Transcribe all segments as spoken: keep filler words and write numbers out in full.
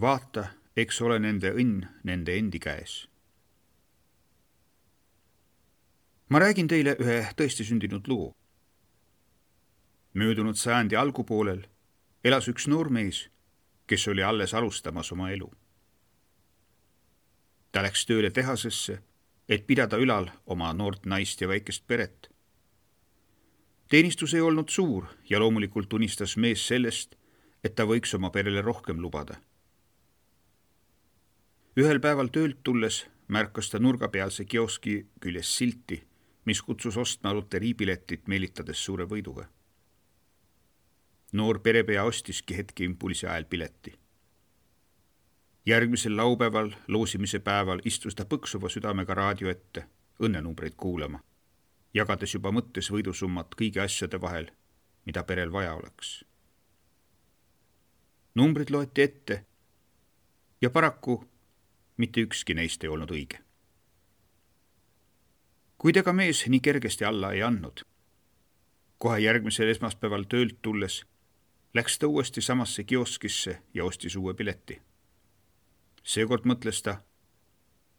Vaata, eks ole nende õnn nende endi käes. Ma räägin teile ühe tõesti sündinud loo. Möödunud sajandi algupoolel elas üks noor mees, kes oli alles alustamas oma elu. Ta läks tööle tehasesse, et pidada ülal oma noort naist ja väikest peret. Teenistus ei olnud suur ja loomulikult unistas mees sellest, et ta võiks oma perele rohkem lubada. Ühel päeval töölt tulles märkas ta nurgapealse kioski küljes silti, mis kutsus ostma loteriipiletit meelitades suure võiduga. Noor perepea ostiski hetke impulsi ajal pileti. Järgmisel laupäeval, loosimise päeval, istus ta põksuva südamega raadio ette, õnnenumbreid kuulama, jagades juba mõttes võidusummat kõigi asjade vahel, mida perel vaja oleks. Numbrid loeti ette ja paraku mitte ükski neist ei olnud õige. Kuid ega mees nii kergesti alla ei andnud. Kohe järgmisel esmaspäeval töölt tulles läks ta uuesti samasse kioskisse ja ostis uue pileti. Seekord mõtles ta,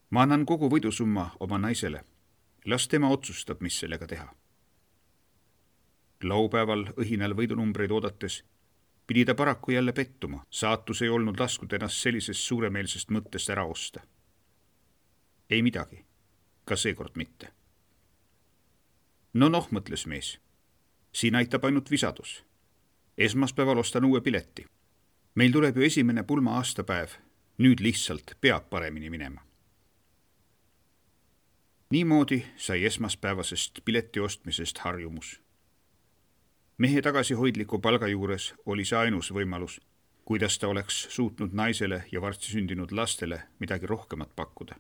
ma annan kogu võidusumma oma naisele. Las tema otsustab, mis sellega teha. Laupäeval õhinal võidunumbreid oodates pidi ta paraku jälle pettuma. Saatus ei olnud lasknud ennast sellisest suuremeelsest mõttest ära osta. Ei midagi, ka seekord mitte. No noh, mõtles mees. Siin aitab ainult visadus. Esmaspäeval ostan uue pileti. Meil tuleb ju esimene pulma aastapäev. Nüüd lihtsalt peab paremini minema. Niimoodi sai esmaspäevasest pileti ostmisest harjumus. Mehe tagasihoidliku palga juures oli see ainus võimalus, kuidas ta oleks suutnud naisele ja varsti sündinud lastele midagi rohkemat pakkuda.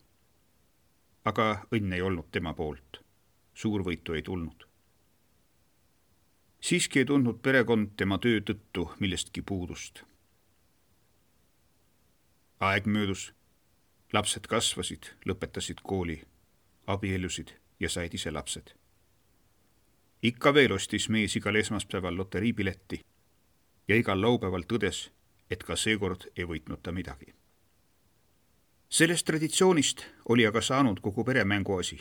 Aga õnn ei olnud tema poolt. Suurvõitu ei tulnud. Siiski ei tundnud perekond tema töö tõttu millestki puudust. Aeg möödus, lapsed kasvasid, lõpetasid kooli, abiellusid ja said ise lapsed. Ikka veel ostis mees igal esmaspäeval loteriipiletti ja igal laupäeval tõdes, et ka seekord ei võitnud ta midagi. Sellest traditsioonist oli aga saanud kogu pere mänguasi.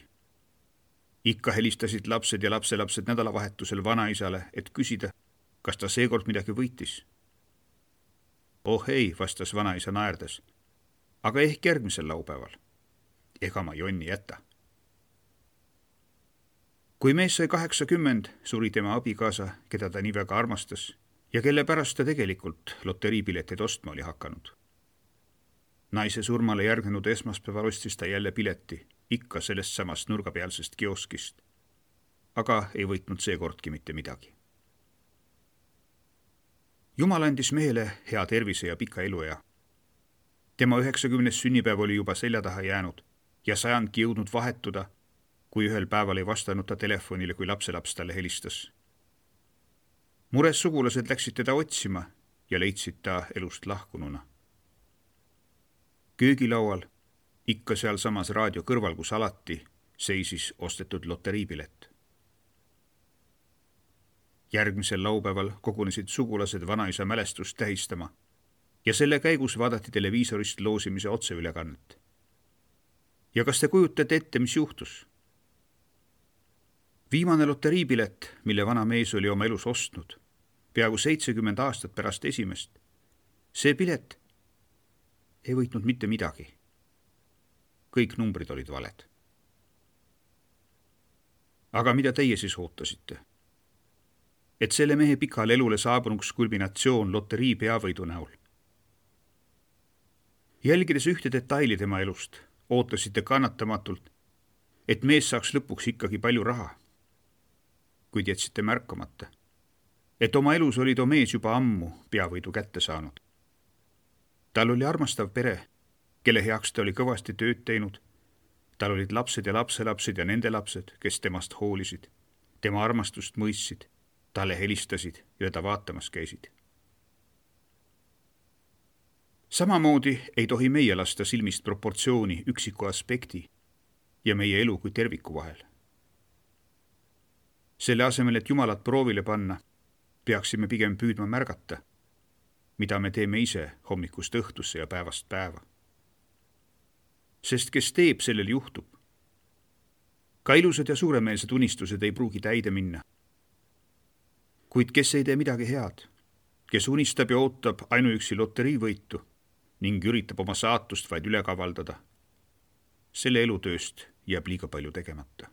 Ikka helistasid lapsed ja lapselapsed nädalavahetusel vanaisale, et küsida, kas ta seekord midagi võitis. Oh ei, vastas vanaisa naerdes, aga ehk järgmisel laupäeval. Ega ma jonni jäta. Kui mees sai kaheksakümmend, suri tema abikaasa, keda ta nii väga armastas ja kelle pärast ta tegelikult loteriipileteid ostma oli hakanud. Naise surmale järgnenud esmaspäeval ostis ta jälle pileti, ikka sellest samast nurgapealsest kioskist, aga ei võitnud seekordki mitte midagi. Jumal andis mehele hea tervise ja pika eluea. Tema üheksakümnes sünnipäev oli juba selja taha jäänud ja sajandki jõudnud vahetuda, kui ühel päeval ei vastanud ta telefonile, kui lapselaps talle helistas. Mures sugulased läksid teda otsima ja leidsid ta elust lahkununa. Köögilaual, ikka seal samas raadio kõrval, kus alati, seisis ostetud loteriipilet. Järgmisel laupäeval kogunesid sugulased vanaisa mälestust tähistama ja selle käigus vaadati televiisorist loosimise otseülekannet. Ja kas te kujutate ette, mis juhtus? Viimane loteriipilet, mille vana mees oli oma elus ostnud, peaaegu seitsekümmend aastat pärast esimest, see pilet ei võitnud mitte midagi. Kõik numbrid olid valed. Aga mida teie siis ootasite? Et selle mehe pikal elule saabunuks kulminatsioon loterii peavõidu näol. Jälgides ühte detaili tema elust, ootasite kannatamatult, et mees saaks lõpuks ikkagi palju raha. Kuid jätsite märkamata, et oma elus oli too mees juba ammu peavõidu kätte saanud. Tal oli armastav pere, kelle heaks ta oli kõvasti tööd teinud. Tal olid lapsed ja lapselapsed ja nende lapsed, kes temast hoolisid, tema armastust mõistsid, talle helistasid ja ta vaatamas käisid. Samamoodi ei tohi meie lasta silmist proportsiooni üksiku aspekti ja meie elu kui terviku vahel. Selle asemel, et Jumalat proovile panna, peaksime pigem püüdma märgata, mida me teeme ise hommikust õhtusse ja päevast päeva. Sest kes teeb, sellel juhtub. Ka ilusad ja suuremeelsed unistused ei pruugi täide minna. Kuid kes ei tee midagi head, kes unistab ja ootab ainuüksi loteriivõitu ning üritab oma saatust vaid üle kavaldada, selle elutööst jääb liiga palju tegemata.